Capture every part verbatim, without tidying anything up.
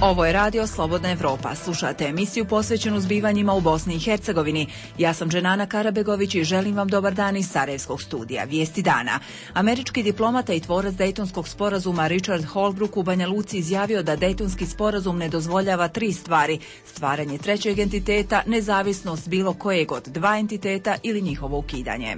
Ovo je radio Slobodna Evropa. Slušate emisiju posvećenu zbivanjima u Bosni i Hercegovini. Ja sam Dženana Karabegović i želim vam dobar dan iz Sarajevskog studija. Vijesti dana. Američki diplomata i tvorac Dejtonskog sporazuma Richard Holbrooke u Banja Luci izjavio da Dejtonski sporazum ne dozvoljava tri stvari: stvaranje trećeg entiteta, nezavisnost bilo kojeg od dva entiteta ili njihovo ukidanje.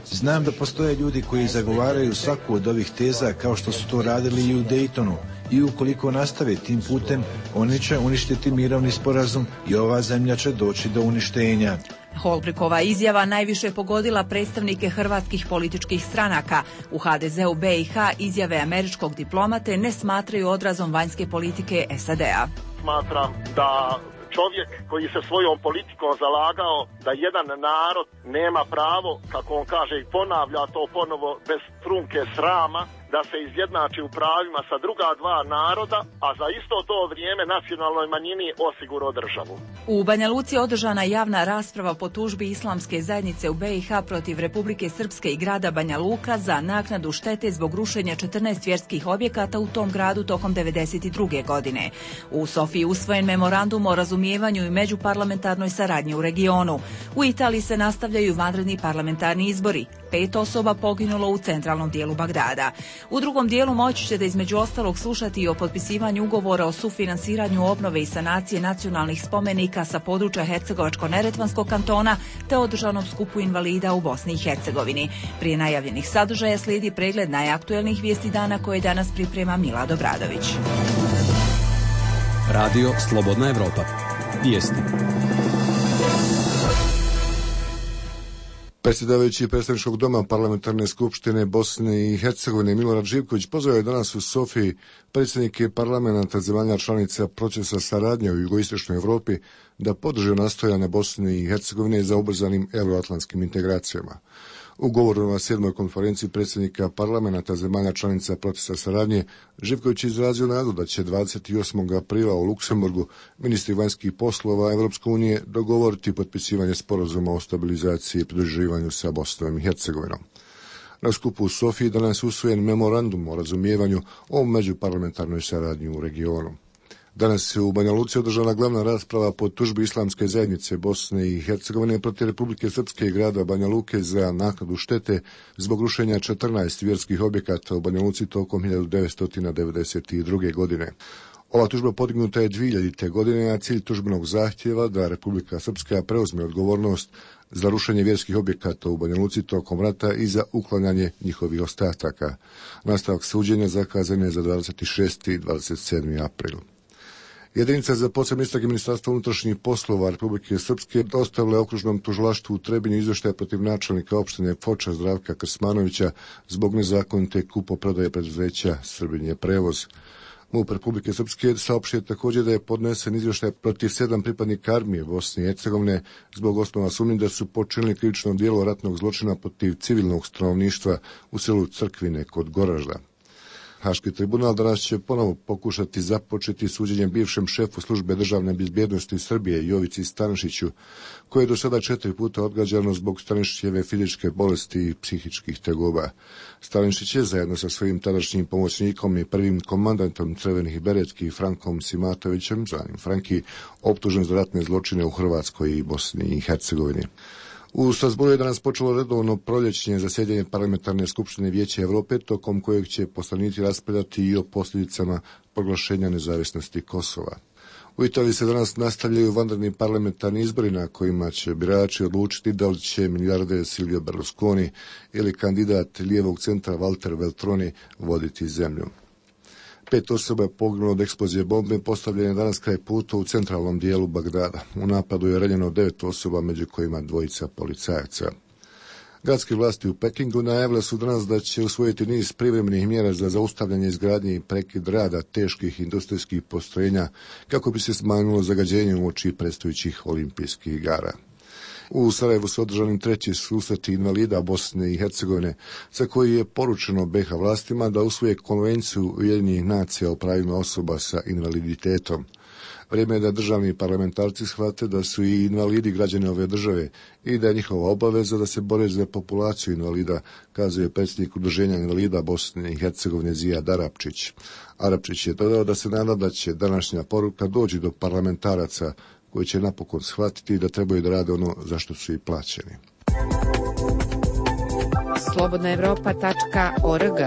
Znam da postoje ljudi koji zagovaraju svaku od ovih teza kao što su to radili i u Dejtonu. I ukoliko nastave tim putem, oni će uništiti mirovni sporazum i ova zemlja će doći do uništenja. Holbrookeova izjava najviše pogodila predstavnike hrvatskih političkih stranaka. U ha de zeu be i ha izjave američkog diplomate ne smatraju odrazom vanjske politike es a de a. Smatram da čovjek koji se svojom politikom zalagao da jedan narod nema pravo, kako on kaže i ponavlja to ponovo bez trunke srama, da se izjednači u pravima sa druga dva naroda, a za isto to vrijeme nacionalnoj manjini osigurao državu. U Banja Luci održana javna rasprava po tužbi Islamske zajednice u be i ha protiv Republike Srpske i grada Banja Luka za naknadu štete zbog rušenja četrnaest vjerskih objekata u tom gradu tokom devedeset druge godine. U Sofiji usvojen memorandum o razumijevanju i međuparlamentarnoj saradnji u regionu. U Italiji se nastavljaju vanredni parlamentarni izbori. Pet osoba poginulo u centralnom dijelu Bagdada. U drugom dijelu moći ćete između ostalog slušati i o potpisivanju ugovora o sufinansiranju obnove i sanacije nacionalnih spomenika sa područja Hercegovačko-neretvanskog kantona te održanom skupu invalida u Bosni i Hercegovini. Prije najavljenih sadržaja slijedi pregled najaktuelnijih vijesti dana koje danas priprema Milad Obradović. Radio Slobodna Evropa. Vijesti. Predsjedavajući predstavničkog doma Parlamentarne skupštine Bosne i Hercegovine Milorad Živković pozvao je danas u Sofiji predsjednike parlamenta zemalja članica procesa saradnje u jugoistočnoj Evropi da podrže nastojanja Bosne i Hercegovine za ubrzanim euroatlantskim integracijama. U govoru na sedmoj konferenciji predsjednika parlamenta zemalja članica procesa saradnje, Živković izrazio nadu da će dvadeset osmog aprila u Luksemburgu ministri vanjskih poslova Evropske unije dogovoriti potpisivanje sporazuma o stabilizaciji i pridruživanju sa Bosnom i Hercegovinom. Na skupu u Sofiji danas usvojen memorandum o razumijevanju o međuparlamentarnoj saradnji u regionu. Danas je u Banja Luci održana glavna rasprava po tužbi Islamske zajednice Bosne i Hercegovine protiv Republike Srpske i grada Banja Luke za naknadu štete zbog rušenja četrnaest vjerskih objekata u Banja Luci tokom hiljadu devetsto devedeset druge. godine. Ova tužba podignuta je dvije hiljadite. godine, a cilj tužbenog zahtjeva da Republika Srpska preuzme odgovornost za rušenje vjerskih objekata u Banja Luci tokom rata i za uklanjanje njihovih ostataka. Nastavak suđenja zakazan je za dvadeset šesti i dvadeset sedmi april. Jedinica za posebne istrage Ministarstva unutrašnjih poslova Republike Srpske dostavila je okružnom tužilaštvu u Trebinju izvještaj protiv načelnika opštine Foča Zdravka Krsmanovića zbog nezakonite kupoprodaje preduzeća Srbinje prevoz. MUP Republike Srpske saopštio također da je podnesen izvještaj protiv sedam pripadnika armije Bosne i Hercegovine zbog osnova sumnje da su počinili krivično djelo ratnog zločina protiv civilnog stanovništva u selu Crkvine kod Goražda. Haški tribunal danas će ponovo pokušati započeti suđenje bivšem šefu službe državne bezbjednosti Srbije Jovici Stanišiću, koje je do sada četiri puta odgađano zbog Stanišićeve fizičke bolesti i psihičkih tegoba. Stanišić je zajedno sa svojim tadašnjim pomoćnikom i prvim komandantom Crvenih beretki Frankom Simatovićem, zvanim Franki, optužen za ratne zločine u Hrvatskoj i Bosni i Hercegovini. U Strasbourgu je danas počelo redovno proljećnje zasjedanje Parlamentarne skupštine Vijeća Evrope, tokom kojeg će poslanici raspravljati i o posljedicama proglašenja nezavisnosti Kosova. U Italiji se danas nastavljaju vanredni parlamentarni izbori na kojima će birači odlučiti da li će milijarder Silvio Berlusconi ili kandidat lijevog centra Walter Veltroni voditi zemlju. Pet osoba je poginulo od eksplozije bombe postavljene danas kraj puta u centralnom dijelu Bagdada. U napadu je ranjeno devet osoba, među kojima dvojica policajaca. Gradske vlasti u Pekingu najavile su danas da će usvojiti niz privremenih mjera za zaustavljanje izgradnje i prekid rada teških industrijskih postrojenja kako bi se smanjilo zagađenje uoči predstojećih olimpijskih igara. U Sarajevu su održani treći susreti invalida Bosne i Hercegovine, za koji je poručeno be ha vlastima da usvoje konvenciju Ujedinjenih nacija o pravima osoba sa invaliditetom. Vrijeme je da državni parlamentarci shvate da su i invalidi građani ove države i da je njihova obaveza da se bore za populaciju invalida, kazuje predsjednik Udruženja invalida Bosne i Hercegovine Zijad Arapčić. Arapčić je dodao da se nada da će današnja poruka doći do parlamentaraca koji će napokon shvatiti da trebaju da rade ono za što su i plaćeni. slobodna evropa tačka org.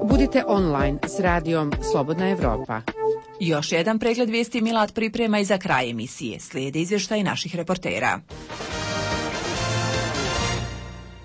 Budite online s radijom Slobodna Evropa. Još jedan pregled vijesti Milad priprema i za kraj emisije. Slijede izvještaj naših reportera.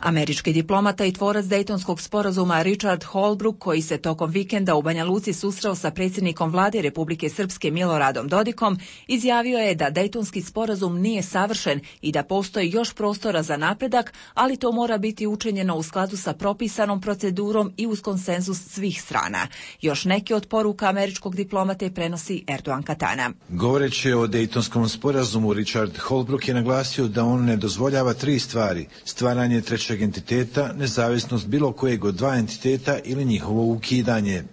Američki diplomata i tvorac Dejtonskog sporazuma Richard Holbrooke, koji se tokom vikenda u Banja Luci susreo sa predsjednikom vlade Republike Srpske Miloradom Dodikom, izjavio je da Dejtonski sporazum nije savršen i da postoji još prostora za napredak, ali to mora biti učinjeno u skladu sa propisanom procedurom i uz konsenzus svih strana. Još neke od poruka američkog diplomate prenosi Erdogan Katana. Govoreći o Dejtonskom sporazumu, Richard Holbrooke je naglasio da on ne dozvoljava tri stvari: stvaranje trećeg entiteta, nezavisnost bilo kojeg od dva entiteta ili njihovo ukidanje.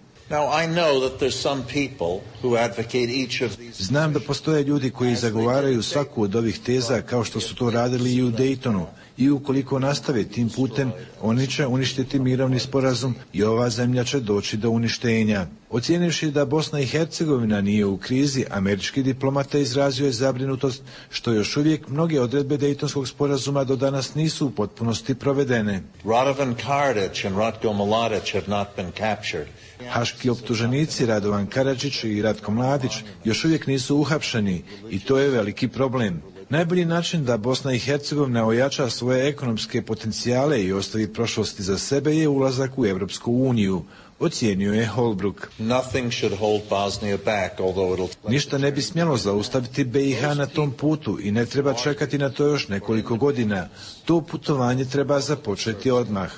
Znam da postoje ljudi koji zagovaraju svaku od ovih teza kao što su to radili i u Dejtonu, i ukoliko nastave tim putem, oni će uništiti mirovni sporazum i ova zemlja će doći do uništenja. Ocijenivši da Bosna i Hercegovina nije u krizi, američki diplomata izrazio je zabrinutost što još uvijek mnoge odredbe Dejtonskog sporazuma do danas nisu u potpunosti provedene. Radovan Karadžić and Ratko Mladić have not been captured. Haški optuženici Radovan Karadžić i Ratko Mladić još uvijek nisu uhapšeni i to je veliki problem. Najbolji način da Bosna i Hercegovina ojača svoje ekonomske potencijale i ostavi prošlosti za sebe je ulazak u Europsku uniju, ocijenio je Holbrooke. Ništa ne bi smjelo zaustaviti B i H na tom putu i ne treba čekati na to još nekoliko godina. To putovanje treba započeti odmah.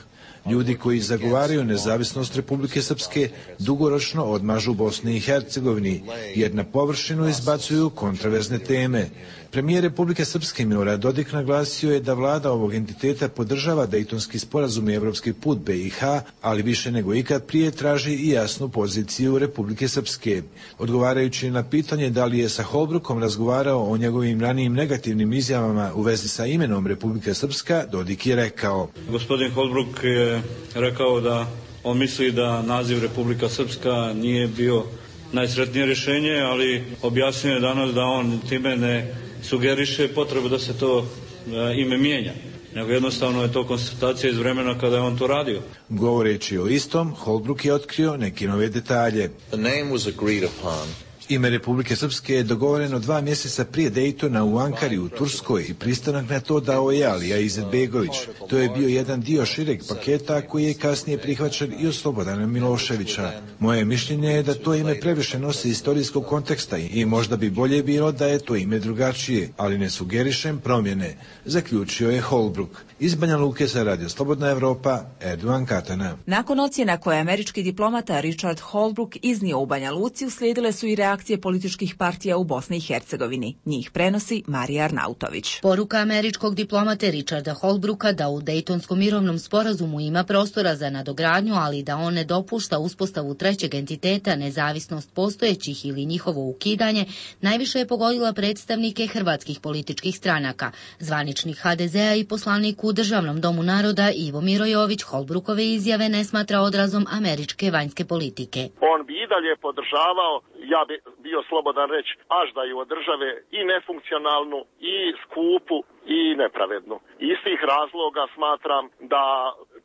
Ljudi koji zagovaraju nezavisnost Republike Srpske dugoročno odmažu Bosni i Hercegovini, jer na površinu izbacuju kontroverzne teme. Premijer Republike Srpske Milorad Dodik naglasio je da vlada ovog entiteta podržava Dejtonski sporazum i evropski put B i H, ali više nego ikad prije traži i jasnu poziciju Republike Srpske. Odgovarajući na pitanje da li je sa Holbrookom razgovarao o njegovim ranijim negativnim izjavama u vezi sa imenom Republika Srpska, Dodik je rekao: Gospodin Holbrooke je rekao da on misli da naziv Republika Srpska nije bio najsretnije rješenje, ali objasnio je danas da on time ne sugeriše potrebu da se to e, ime mijenja, nego jednostavno je to konstatacija iz vremena kada je on to radio. Govoreći o istom, Holbrooke je otkrio neke nove detalje. The name was agreed upon. Ime Republike Srpske je dogovoreno dva mjeseca prije Dejtona u Ankari u Turskoj i pristanak na to dao je Alija Izetbegović. To je bio jedan dio šireg paketa koji je kasnije prihvaćen i od Slobodana Miloševića. Moje mišljenje je da to ime previše nosi istorijskog konteksta i možda bi bolje bilo da je to ime drugačije, ali ne sugerišem promjene, zaključio je Holbrooke. Iz Banja Luke za Radio Slobodna Evropa, Erdogan Katana. Nakon ocjena koje američki diplomata Richard Holbrooke iznio u Banja Luci, uslijedile su i reakcije političkih partija u Bosni i Hercegovini. Njih prenosi Marija Arnautović. Poruka američkog diplomate Richarda Holbrookea da u Dejtonskom mirovnom sporazumu ima prostora za nadogradnju, ali da on ne dopušta uspostavu trećeg entiteta, nezavisnost postojećih ili njihovo ukidanje, najviše je pogodila predstavnike hrvatskih političkih stranaka. Zvaničnik ha de zea i poslanik u Državnom domu naroda Ivo Mirojović Holbrookove izjave ne smatra odrazom američke vanjske politike. On bi i dalje podržavao, ja bi bio slobodan reći, aždaju od države i nefunkcionalnu, i skupu, i nepravednu. Iz tih razloga smatram da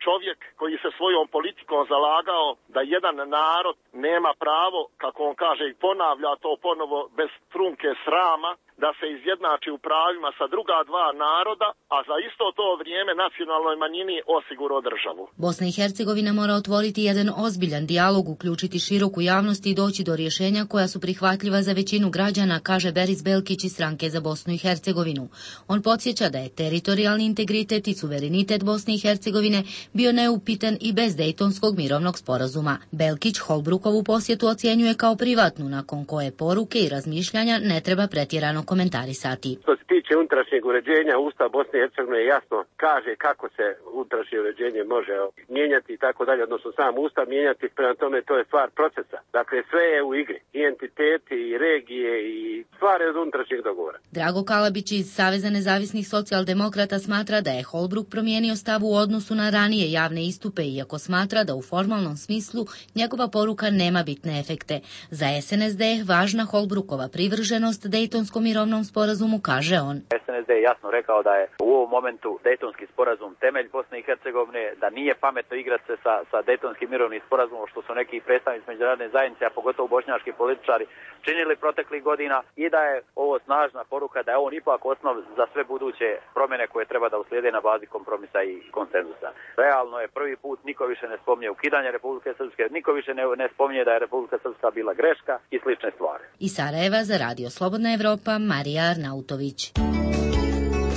čovjek koji se svojom politikom zalagao da jedan narod nema pravo, kako on kaže i ponavlja to ponovo bez trunke srama, da se izjednači u pravima sa druga dva naroda, a za isto to vrijeme nacionalnoj manjini osigurao državu. Bosna i Hercegovina mora otvoriti jedan ozbiljan dijalog, uključiti široku javnost i doći do rješenja koja su prihvatljiva za većinu građana, kaže Beris Belkić iz Stranke za Bosnu i Hercegovinu. On podsjeća da je teritorijalni integritet i suverenitet Bosne i Hercegovine bio neupitan i bez Dejtonskog mirovnog sporazuma. Belkić Holbrookovu posjetu ocjenjuje kao privatnu, nakon koje poruke i razmišljanja ne treba pretjerano komentarisati. Što se tiče tiče unutrašnjeg uređenja, Ustav Bosne i Hercegovine jasno kaže kako se unutrašnje uređenje može mijenjati i tako dalje, odnosno sam Ustav mijenjati, prema tome to je stvar procesa. Dakle, sve je u igri, i entiteti, i regije, i stvari od unutrašnjeg dogovora. Drago Kalabić iz Saveza nezavisnih socijaldemokrata smatra da je Holbruk promijenio stav u odnosu na ranije javne istupe, iako smatra da u formalnom smislu njegova poruka nema bitne efekte. Za S N S D je važna Holbrukova privrženost Dejtonskom mirovnom sporazumu, kaže on. S N S D je jasno rekao da je u ovom momentu Dejtonski sporazum temelj Bosne i Hercegovine, da nije pametno igrati se sa, sa Dejtonskim mirovnim sporazumom, što su neki predstavnici međunarodne zajednice, a pogotovo bošnjački političari, činili proteklih godina, i da je ovo snažna poruka da je on ipak osnov za sve buduće promjene koje treba da uslijede na bazi kompromisa i konsenzusa. Realno je prvi put, niko više ne spominje ukidanje Republike Srpske, niko više ne, ne spominje da je Republika Srpska bila greška i slične stvari. Iz Sarajeva za Radio Slobodna Evropa, Marija Arnautović.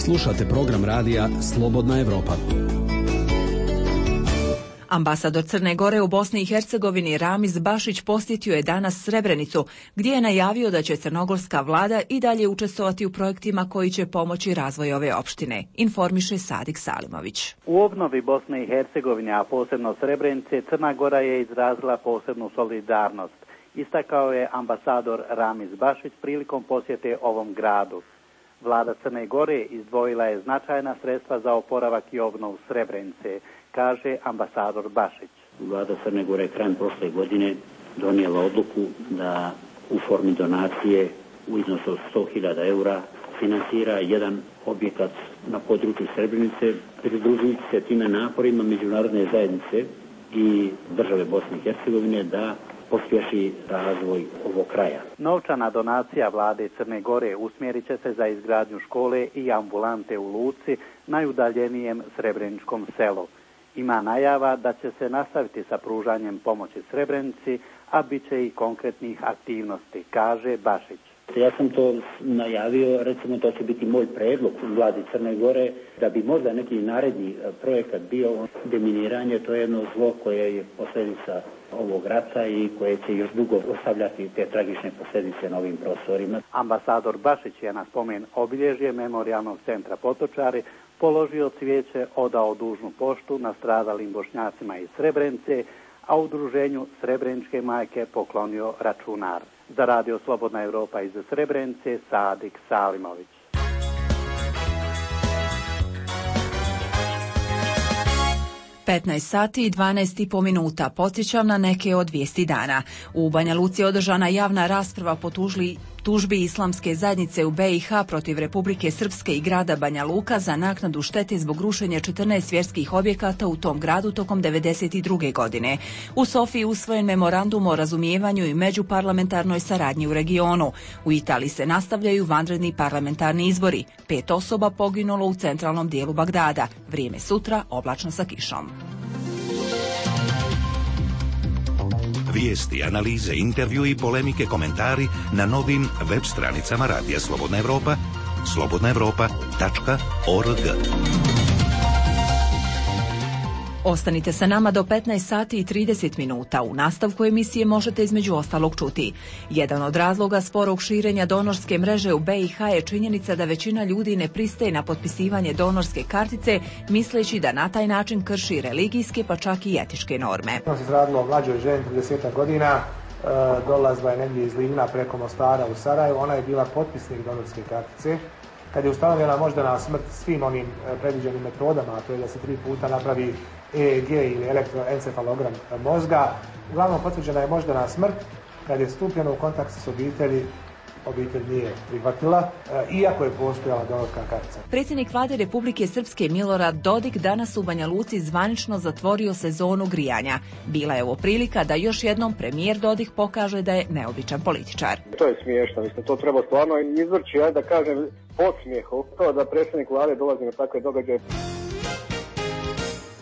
Slušate program radija Slobodna Evropa. Ambasador Crne Gore u Bosni i Hercegovini Ramiz Bašić posjetio je danas Srebrenicu, gdje je najavio da će crnogorska vlada i dalje učestvovati u projektima koji će pomoći razvoju ove opštine, informiše Sadik Salimović. U obnovi Bosne i Hercegovine, a posebno Srebrenice, Crna Gora je izrazila posebnu solidarnost, istakao je ambasador Ramiz Bašić prilikom posjete ovom gradu. Vlada Crne Gore izdvojila je značajna sredstva za oporavak i obnovu Srebrenice, kaže ambasador Bašić. Vlada Crne Gore krajem prošle godine donijela odluku da u formi donacije u iznosu od sto hiljada eura finansira jedan objekat na području Srebrenice, pridružujući se time naporima međunarodne zajednice i države Bosne i Hercegovine da pospješi razvoj ovog kraja. Novčana donacija vlade Crne Gore usmjerit će se za izgradnju škole i ambulante u Luci, najudaljenijem srebreničkom selu. Ima najava da će se nastaviti sa pružanjem pomoći Srebrenici, a bit će i konkretnih aktivnosti, kaže Bašić. Ja sam to najavio, recimo to će biti moj predlog u vladi Crne Gore, da bi možda neki naredni projekat bio deminiranje, to je jedno zlo koje je posljedica ovog rata i koje će još dugo ostavljati te tragične posljedice na ovim prostorima. Ambasador Bašić je na spomen obilježje Memorijalnog centra Potočari položio cvijeće, odao dužnu poštu nastradalim Bošnjacima iz Srebrenice, a udruženju Srebreničke majke poklonio računar. Za Radio Slobodna Evropa iz Srebrenice, Sadik Salimović. petnaest sati i dvanaest i po minuta. Podsjećam na neke od vijesti dana. U Banja Luci je održana javna rasprava po tužli, tužbi islamske zajednice u B i H protiv Republike Srpske i grada Banja Luka za naknadu štete zbog rušenja četrnaest vjerskih objekata u tom gradu tokom devedeset druge godine. U Sofiji usvojen memorandum o razumijevanju i međuparlamentarnoj saradnji u regionu. U Italiji se nastavljaju vanredni parlamentarni izbori. Pet osoba poginulo u centralnom dijelu Bagdada. Vrijeme sutra oblačno sa kišom. Vijesti, analize, intervju i polemike, komentari na novim web stranicama Radija Slobodna Evropa, slobodna evropa tačka org. Ostanite sa nama do petnaest sati i trideset minuta. U nastavku emisije možete između ostalog čuti. Jedan od razloga sporog širenja donorske mreže u B i H je činjenica da većina ljudi ne pristaje na potpisivanje donorske kartice, misleći da na taj način krši religijske pa čak i etičke norme. To se izradilo o mlađoj ženi trideset godina, dolazila je negdje iz Livna preko Mostara u Sarajevo, ona je bila potpisnik donorske kartice. Kad je ustanovljena moždana smrt svim onim predviđenim metodama, a to je da se tri puta napravi E E G ili elektroencefalogram mozga, uglavnom potvrđena je moždana smrt. Kad je stupljeno u kontakt s obitelji, obitelj nije prihvatila, iako je postojala donorska kartica. Predsjednik vlade Republike Srpske Milorad Dodik danas u Banja Luci zvanično zatvorio sezonu grijanja. Bila je ovo prilika da još jednom premijer Dodik pokaže da je neobičan političar. To je smiješno, mislim, to treba stvarno izvrći, ja da kažem, podsmijeh, to da predsjednik vlade dolazi na takve događaje.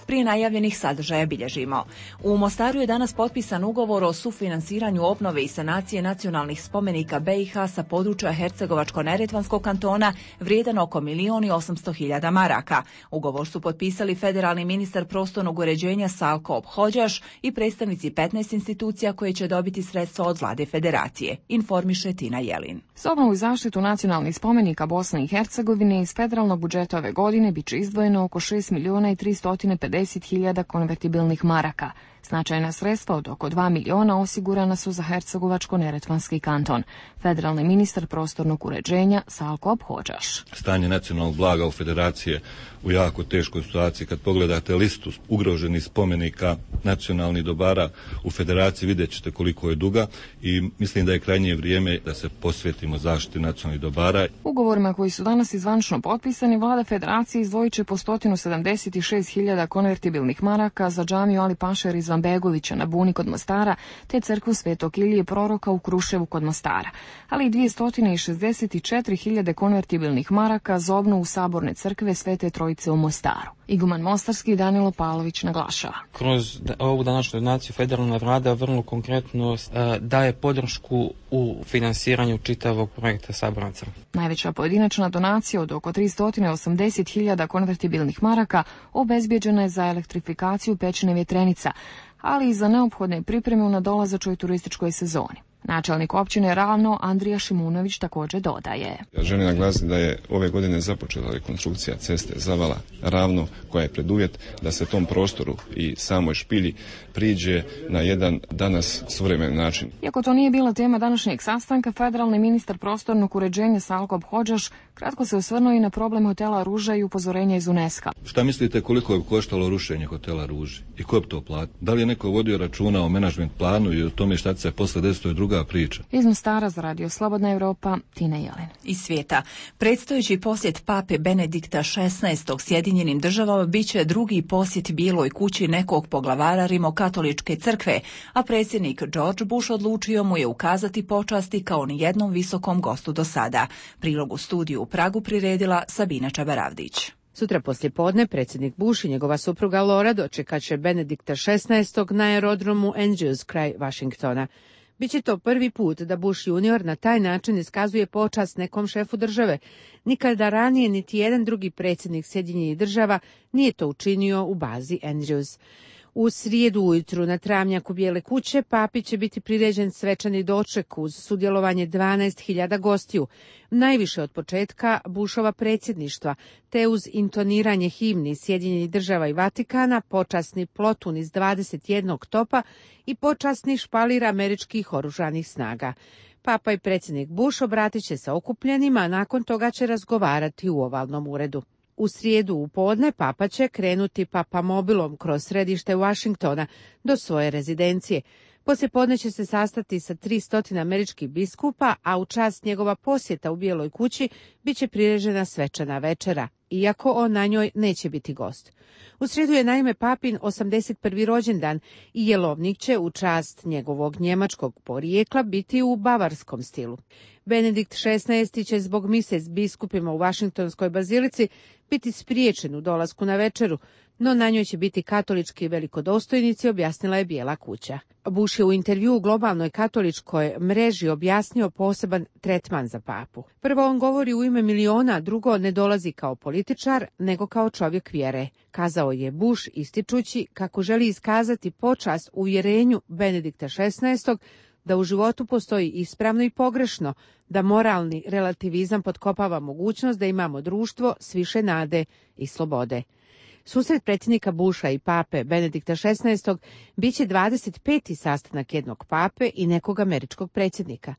Prije najavljenih sadržaja bilježimo. U Mostaru je danas potpisan ugovor o sufinansiranju obnove i sanacije nacionalnih spomenika B i H sa područja Hercegovačko-neretvanskog kantona vrijedan oko milijon i osamsto hiljada maraka. Ugovor su potpisali federalni ministar prostornog uređenja Salko Obhođaš i predstavnici petnaest institucija koje će dobiti sredstva od vlade federacije, informiše Tina Jelin. Za obnovu i zaštitu nacionalnih spomenika Bosne i Hercegovine iz federalnog budžeta ove godine biće izdvojeno oko šest milijuna i tristo pedeset hiljada konvertibilnih maraka. Značajna sredstva od oko dva miliona osigurana su za Hercegovačko-neretvanski kanton. Federalni ministar prostornog uređenja Salko Obhođaš. Stanje nacionalnog blaga u federaciji je u jako teškoj situaciji. Kad pogledate listu ugroženih spomenika nacionalnih dobara u federaciji, vidjet ćete koliko je duga i mislim da je krajnje vrijeme da se posvetimo zaštiti nacionalnih dobara. Ugovorima koji su danas izvančno potpisani, vlada federacije izdvojit će po sto sedamdeset šest hiljada konvertibilnih maraka za džamiju Ali Pašer Izvanbegovića na Buni kod Mostara, te crkvu Svetog Ilije Proroka u Kruševu kod Mostara, ali i dvjesto šezdeset četiri hiljade konvertibilnih maraka za obnovu saborne crkve Svete Trojice u Mostaru. Iguman Mostarski Danilo Pavlović naglašava. Kroz ovu današnju donaciju federalna vlada vrlo konkretno uh, daje podršku u finansiranju čitavog projekta Saborna crkva. Najveća pojedinačna donacija od oko tristo osamdeset hiljada konvertibilnih maraka obezbjeđena je za elektrifikaciju pećine Vjetrenica, ali i za neophodne pripreme u nadolazećoj turističkoj sezoni. Načelnik općine Ravno Andrija Šimunović također dodaje. Ja želim naglasiti da je ove godine započela rekonstrukcija ceste Zavala Ravno, koja je preduvjet da se tom prostoru i samoj špilji priđe na jedan danas suvremen način. Iako to nije bila tema današnjeg sastanka, federalni ministar prostornog uređenja Salko Obhođaš kratko se osvrnuo i na problem hotela Ruža i upozorenja iz UNESCO. Šta mislite koliko je koštalo rušenje hotela Ruži i ko bi to platio? Da li je neko vodio računa o menadžment planu i o tome šta će se posle desiti, to je druga priča. Iz Mostara za Radio Slobodna Evropa, Tina Jelin. Iz svijeta. Predstojeći posjet pape Benedikta šesnaestog Sjedinjenim državama biće drugi posjet Bijeloj kući nekog poglavara Rimokatoličke crkve, a predsjednik George Bush odlučio mu je ukazati počasti kao ni jednom visokom gostu do sada. Prilog u studiju u Pragu priredila Sabina Čabaravdić. Sutra poslijepodne predsjednik Bush i njegova supruga Laura dočekat će Benedikta šesnaestog na aerodromu Andrews kraj Washingtona. Biće to prvi put da Bush junior na taj način iskazuje počast nekom šefu države. Nikada ranije niti jedan drugi predsjednik Sjedinjenih država nije to učinio u bazi Andrews. U srijedu ujutru na travnjaku Bijele kuće papi će biti priređen svečani doček uz sudjelovanje dvanaest hiljada gostiju, najviše od početka Bushova predsjedništva, te uz intoniranje himni Sjedinjenih država i Vatikana, počasni plotun iz dvadeset jednog topa i počasni špalir američkih oružanih snaga. Papa i predsjednik Bush obratit će se okupljenima, a nakon toga će razgovarati u ovalnom uredu. U srijedu u podne papa će krenuti papamobilom kroz središte Washingtona do svoje rezidencije. Poslije podne će se sastati sa tristo američkih biskupa, a u čast njegova posjeta u Bijeloj kući bit će priređena svečana večera, iako on na njoj neće biti gost. U srijedu je naime papin osamdeset prvi rođendan i jelovnik će u čast njegovog njemačkog porijekla biti u bavarskom stilu. Benedikt šesnaesti će zbog mise s biskupima u Vašingtonskoj bazilici biti spriječen u dolasku na večeru, no na njoj će biti katolički velikodostojnici, objasnila je Bijela kuća. Bush je u intervju u globalnoj katoličkoj mreži objasnio poseban tretman za papu. Prvo, on govori u ime miliona, drugo, ne dolazi kao političar, nego kao čovjek vjere, kazao je Bush, ističući kako želi iskazati počast uvjerenju Benedikta šesnaestog da u životu postoji ispravno i pogrešno, da moralni relativizam potkopava mogućnost da imamo društvo s više nade i slobode. Susret predsjednika Busha i pape Benedikta šesnaestog bit će dvadeset peti sastanak jednog pape i nekog američkog predsjednika.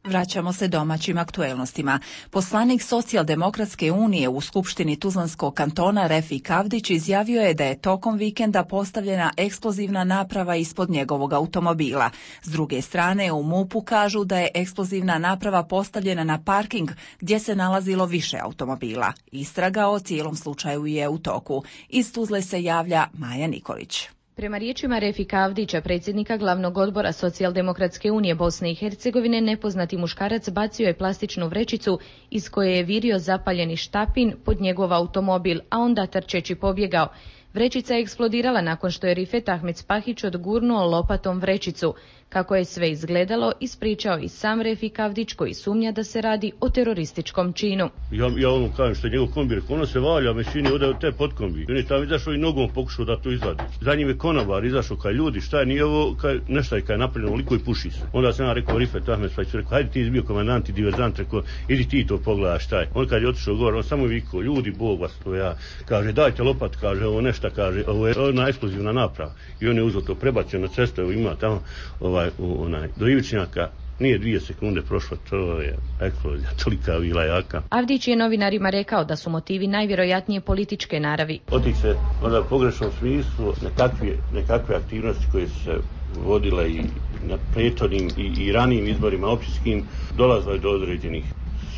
Vraćamo se domaćim aktuelnostima. Poslanik Socijaldemokratske unije u Skupštini Tuzlanskog kantona Refik Avdić izjavio je da je tokom vikenda postavljena eksplozivna naprava ispod njegovog automobila. S druge strane, u MUP-u kažu da je eksplozivna naprava postavljena na parking gdje se nalazilo više automobila. Istraga o cijelom slučaju je u toku. Iz Tuzle se javlja Maja Nikolić. Prema riječima Refika Avdića, predsjednika glavnog odbora Socijaldemokratske unije Bosne i Hercegovine, nepoznati muškarac bacio je plastičnu vrećicu iz koje je virio zapaljeni štapin pod njegov automobil, a onda trčeći pobjegao. Vrećica je eksplodirala nakon što je Rifet Ahmed Spahić odgurnuo lopatom vrećicu. Kako je sve izgledalo, ispričao i sam Refik Avdić, koji sumnja da se radi o terorističkom činu. Ja, ja ono kažem što je njegov kombi, ono se valja, me čini ode od te potkombi. On je tamo izašao i nogom pokušao da to izvadi. Za njim je konobar izašao, kaj ljudi, šta je, nije ovo, kaj, nešto je kaj napravljeno, liko i puši se. Onda sam ja rekao Rifet Ahmed Spahić, rekao, hajde ti izbio komandant i diverzant, rekao, idi ti to pogledaj šta je. On kad je otišao gore, on samo vikao, ljudi, Bog vas to ja, kaže, dajte lopat, kaže, ovo nešto, kaže, ovo je ona eksplozivna naprava. I on je uzeo to, prebacio na cestu, evo ima tamo, ovaj, u, onaj, do Ivičnjaka, nije dvije sekunde prošlo, to je eksplozija, tolika bila jaka. Avdić je novinarima rekao da su motivi najvjerojatnije političke naravi. Otiče onda u pogrešnom smislu nekakve, nekakve aktivnosti koje se vodile i na prethodnim i, i ranijim izborima općinskim, dolazilo je do određenih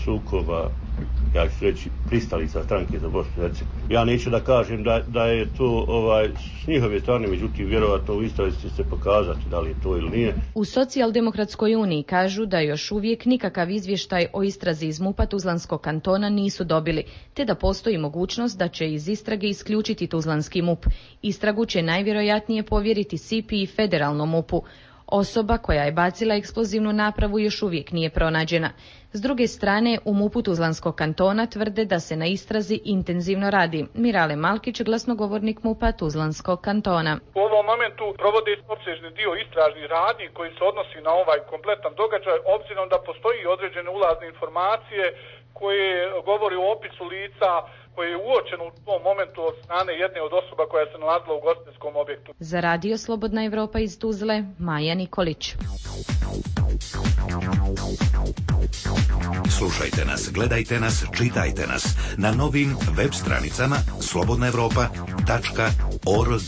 sukoba, ja ću reći, pristalica stranke za Bosnu i Hercegovinu. Ja neću da kažem da, da je to ovaj, s njihove strane, međutim, vjerovatno u istrazi će se pokazati da li je to ili nije. U Socijaldemokratskoj uniji kažu da još uvijek nikakav izvještaj o istrazi iz MUP-a Tuzlanskog kantona nisu dobili, te da postoji mogućnost da će iz istrage isključiti Tuzlanski MUP. Istragu će najvjerojatnije povjeriti S I P I i federalnom MUP-u. Osoba koja je bacila eksplozivnu napravu još uvijek nije pronađena. S druge strane, u MUP-u Tuzlanskog kantona tvrde da se na istrazi intenzivno radi. Mirale Malkić, glasnogovornik MUP-a Tuzlanskog kantona. U ovom momentu provode opsežni dio istražnih radnji koji se odnosi na ovaj kompletan događaj, obzirom da postoji određene ulazne informacije koje govori o opisu lica koje je uočeno u tom momentu od strane jedne od osoba koja se nalazila u ugostiteljskom objektu. Za Radio Slobodna Evropa iz Tuzle, Maja Nikolić. Slušajte nas, gledajte nas, čitajte nas na novim web stranicama slobodna evropa tačka org.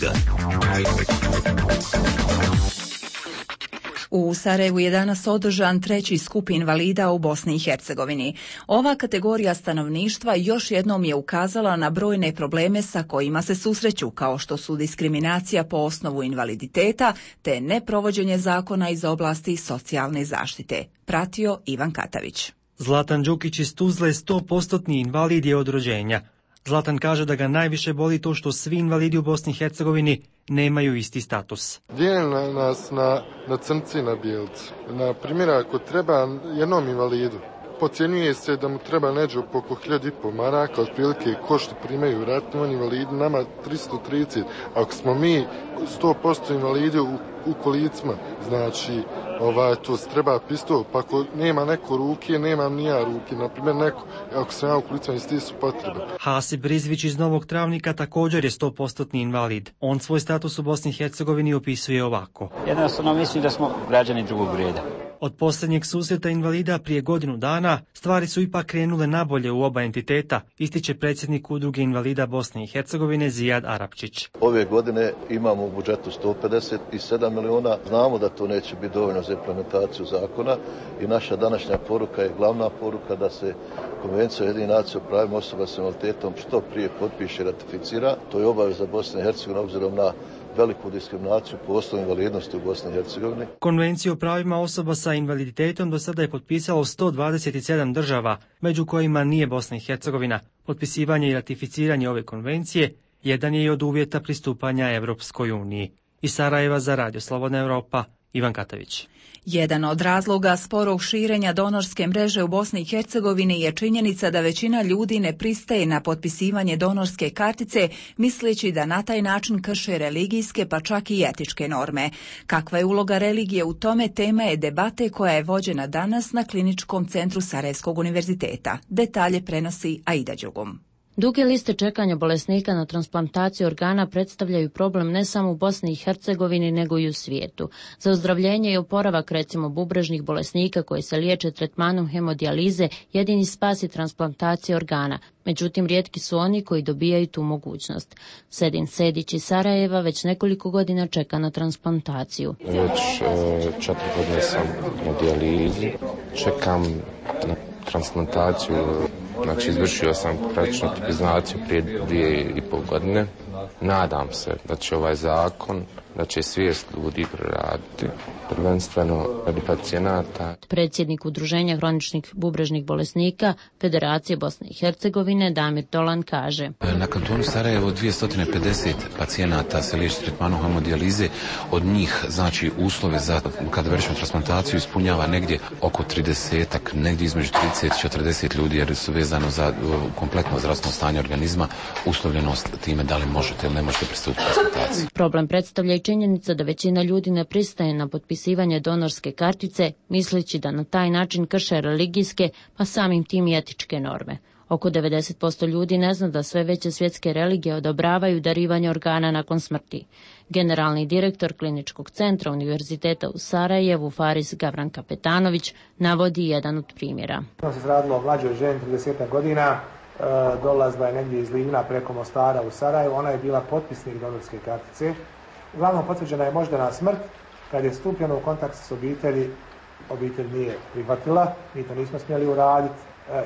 U Sarajevu je danas održan treći skup invalida u Bosni i Hercegovini. Ova kategorija stanovništva još jednom je ukazala na brojne probleme sa kojima se susreću, kao što su diskriminacija po osnovu invaliditeta te neprovođenje zakona iz oblasti socijalne zaštite. Pratio Ivan Katavić. Zlatan Đukić iz Tuzle, sto posto invalid je od rođenja. Zlatan kaže da ga najviše boli to što svi invalidi u Bosni i Hercegovini nemaju isti status. Dijeli nas na, na crnci i na bijelci. Na primjer, ako treba jednom invalidu, pocijenjuje se da mu treba neđe oko hiljadu i pol maraka, otprilike ko što primaju ratni invalidi, nama tristo trideset. Ako smo mi sto posto invalidi u, u kolicima, znači ovaj, to se treba pistol, pa ako nema neko ruke, nema ni ja ruke, na primjer neko, ako sam ja u kolicima, isti su potrebe. Hasib Rizvić iz Novog Travnika također je sto posto invalid. On svoj status u Bosni i Hercegovini opisuje ovako. Jednostavno mislim da smo građani drugog reda. Od posljednjeg susreta invalida prije godinu dana stvari su ipak krenule nabolje u oba entiteta, ističe predsjednik Udruge invalida Bosne i Hercegovine Zijad Arapčić. Ove godine imamo u budžetu sto pedeset sedam miliona, znamo da to neće biti dovoljno za implementaciju zakona i naša današnja poruka je glavna poruka da se Konvencija Ujedinjenih nacija o pravima osoba s invaliditetom što prije potpiše i ratificira. To je obaveza Bosne i Hercegovine obzirom na veliku diskriminaciju po osnovu invalidnosti u Bosni i Hercegovini. Konvenciju o pravima osoba sa invaliditetom do sada je potpisalo sto dvadeset sedam država, među kojima nije Bosna i Hercegovina. Potpisivanje i ratificiranje ove konvencije jedan je i od uvjeta pristupanja Evropskoj uniji. Iz Sarajeva za Radio Slobodna Evropa, Ivan Katavić. Jedan od razloga sporog širenja donorske mreže u Bosni i Hercegovini je činjenica da većina ljudi ne pristaje na potpisivanje donorske kartice, misleći da na taj način krše religijske pa čak i etičke norme. Kakva je uloga religije u tome, tema je debate koja je vođena danas na Kliničkom centru Sarajevskog univerziteta. Detalje prenosi Aida Đugum. Duge liste čekanja bolesnika na transplantaciju organa predstavljaju problem ne samo u Bosni i Hercegovini, nego i u svijetu. Za ozdravljenje i oporavak recimo bubrežnih bolesnika koji se liječe tretmanom hemodijalize, jedini spas je transplantacija organa. Međutim, rijetki su oni koji dobijaju tu mogućnost. Sedin Sedić iz Sarajeva već nekoliko godina čeka na transplantaciju. Već e, četiri godine sam na dijalizi, čekam na transplantaciju. Znači, izvršio sam praktično tipizaciju prije dvije i pol godine. Nadam se da će ovaj zakon, da će svijest ljudi proraditi, prvenstveno radi pacijenata. Predsjednik Udruženja hroničnih bubrežnih bolesnika Federacije Bosne i Hercegovine Damir Dolan kaže: Na kantonu Sarajevo dvjesto pedeset pacijenata se liječi tretmanom hemodijalize. Od njih, znači, uslove za kada vršimo transplantaciju ispunjava negdje oko tridesetak, negdje između trideset i četrdeset ljudi, jer su vezano za kompletno zdravstveno stanje organizma, uslovljenost time da li možete ili ne možete pristupiti transplantaciji. Problem predstavlja i činjenica da većina ljudi ne pristaje na potpisivanje donorske kartice, misleći da na taj način krše religijske, pa samim tim i etičke norme. Oko devedeset posto ljudi ne zna da sve veće svjetske religije odobravaju darivanje organa nakon smrti. Generalni direktor Kliničkog centra Univerziteta u Sarajevu, Faris Gavran Kapetanović, navodi jedan od primjera. To se radilo o mlađoj ženi, trideset godina, dolazila je negdje iz Livna preko Mostara u Sarajevu, ona je bila potpisnik donorske kartice. Uglavnom potvrđena je moždana smrt. Kad je stupljeno u kontakt s obitelji, obitelj nije prihvatila, mi to nismo smjeli uraditi,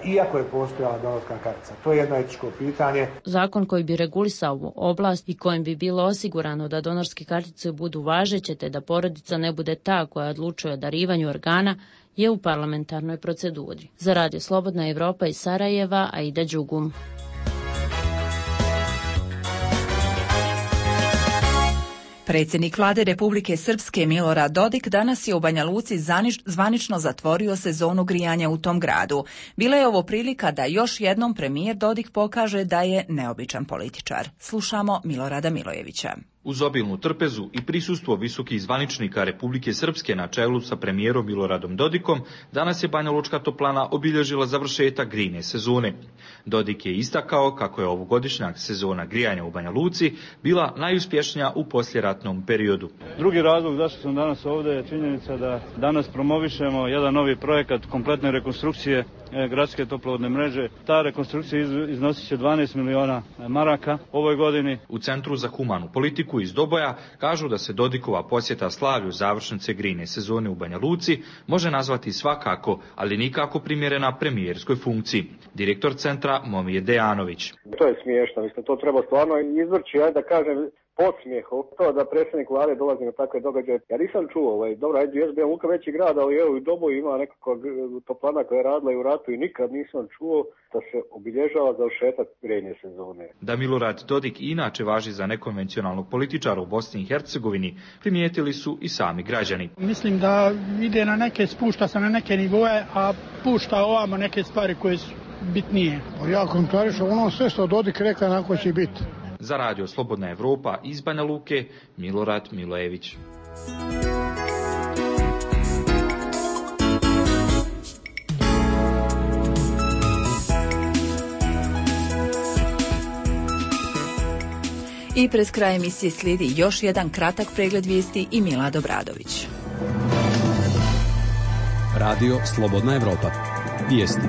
iako je postojala donorska kartica. To je jedno etičko pitanje. Zakon koji bi regulisao ovu oblast i kojim bi bilo osigurano da donorske kartice budu važeće te da porodica ne bude ta koja odlučuje o darivanju organa, je u parlamentarnoj proceduri. Za Radio Slobodna Evropa iz Sarajeva, Aida Đugum. Predsjednik vlade Republike Srpske Milorad Dodik danas je u Banja Luci zvanično zatvorio sezonu grijanja u tom gradu. Bila je ovo prilika da još jednom premijer Dodik pokaže da je neobičan političar. Slušamo Milorada Milojevića. Uz obilnu trpezu i prisustvo visokih zvaničnika Republike Srpske na čelu sa premijerom Miloradom Dodikom, danas je Banja Lučka toplana obilježila završetak grijne sezone. Dodik je istakao kako je ovogodišnja sezona grijanja u Banja Luci bila najuspješnija u poslijeratnom periodu. Drugi razlog zašto sam danas ovdje je činjenica da danas promovišemo jedan novi projekat kompletne rekonstrukcije gradske toplovodne mreže. Ta rekonstrukcija iznosit će dvanaest miliona maraka ovoj godini. U Centru za humanu politiku iz Doboja kažu da se Dodikova posjeta slavlju završnice grijne sezone u Banja Luci može nazvati svakako, ali nikako primjerena premijerskoj funkciji. Direktor centra Momije Dejanović. To je smiješno, mislim, to treba stvarno izvrći, ajde da kažem, podsmijehu. To da predsjednik vlade dolazi na takve događaje. Ja nisam čuo, ovaj, dobro, ajde, jes bio Luka veći grad, ali evo u Doboju ima nekakva toplana koja je radila i u ratu i nikad nisam čuo da se obilježava završetak grijne sezone. Da Milorad Dodik inače važi za nekonvencionalnog političara u Bosni i Hercegovini, primijetili su i sami građani. Mislim da ide na neke, spušta se na neke nivoje, a pušta ovamo neke stvari koje su bitnije. Ja komentarišem ono sve što Dodik rekao onako će biti. Za Radio Slobodna Evropa iz Banja Luke, Milorad Milojević. I pred kraj emisije slijedi još jedan kratak pregled vijesti i Milad Obradović. Radio Slobodna Evropa. Vijesti.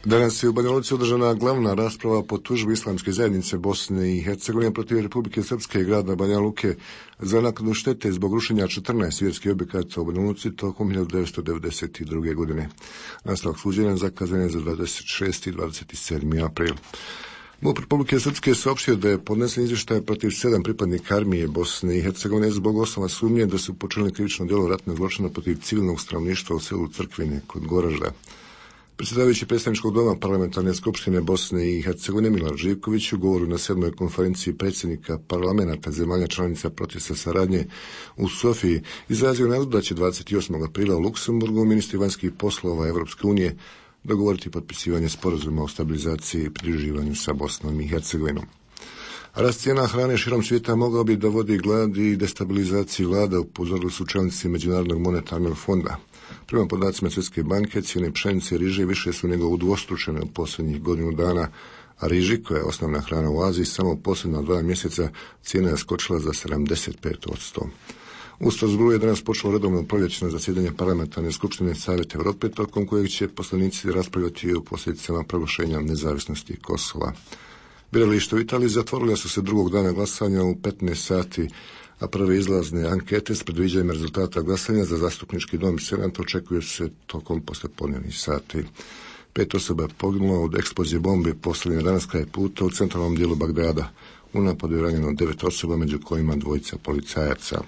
Danas je u Banja Luci održana glavna rasprava po tužbi Islamske zajednice Bosne i Hercegovine protiv Republike Srpske i grada Banja Luke za naknadu štete zbog rušenja četrnaest vjerskih objekata u Banja Luci tokom hiljadu devetsto devedeset druge. godine. Nastavak suđenja zakazan je za dvadeset šesti i dvadeset sedmi april. MUP Republike Srpske saopštio da je podnesen izvještaj protiv sedam pripadnika armije Bosne i Hercegovine zbog osnova sumnje da su počinili krivično djelo ratnog zločina protiv civilnog stanovništva u selu Crkvine kod Goražda. Predsjedavajući predstavničkog doma parlamentarne skupštine Bosne i Hercegovine Milan Živković u govoru na sedmoj konferenciji predsjednika parlamenta zemalja članica procesa saradnje u Sofiji izrazio nadu da će dvadeset osmog aprila u Luksemburgu ministri vanjskih poslova Evropske unije dogovoriti potpisivanje sporazuma o stabilizaciji i pridruživanju sa Bosnom i Hercegovinom. Rast cijena hrane širom svijeta mogao bi da vodi gladi i destabilizaciji vlada, upozorili su čelnici Međunarodnog monetarnog fonda. Prema podacima Svjetske banke, cijene pšenice i riže više su nego udvostručene u posljednjih godinu dana, a riži, koja je osnovna hrana u Aziji, samo u posljednja dva mjeseca cijena je skočila za sedamdeset pet posto. U Strasbourgu je danas počelo redovno proljećno zasjedanje parlamentarne skupštine Savjeta Europe, tokom kojeg će poslanici raspravljati o posljedicama proglašenja nezavisnosti Kosova. Birališta u Italiji zatvorila su se drugog dana glasanja u petnaest sati, a prve izlazne ankete s predviđanjem rezultata glasanja za zastupnički dom i senat očekuju se tokom poslijepodnevnih sati. Pet osoba je poginulo od eksplozije bombe postavljene danas kraj puta u centralnom dijelu Bagdada. U napadu je ranjeno devet osoba, među kojima dvojica policajaca.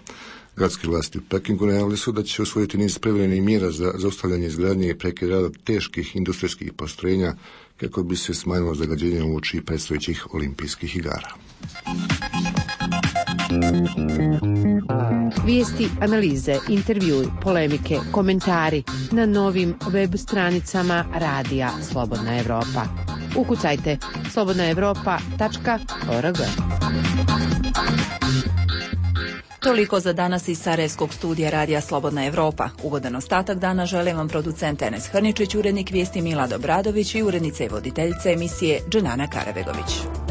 Gradske vlasti u Pekingu najavili su da će usvojiti niz privremenih mjera za zaustavljanje izgradnje i prekid rada teških industrijskih postrojenja kako bi se smanjilo zagađenje uoči predstojećih olimpijskih igara. Vijesti, analize, intervjui, polemike, komentari na novim web stranicama Radija Slobodna Evropa. Ukucajte slobodna evropa tačka org. Toliko za danas iz Sarajevskog studija Radija Slobodna Evropa. Ugodan ostatak dana želim vam producent Enes Hrničić, urednik vijesti Milad Obradović i urednica i voditeljica emisije Dženana Karabegović.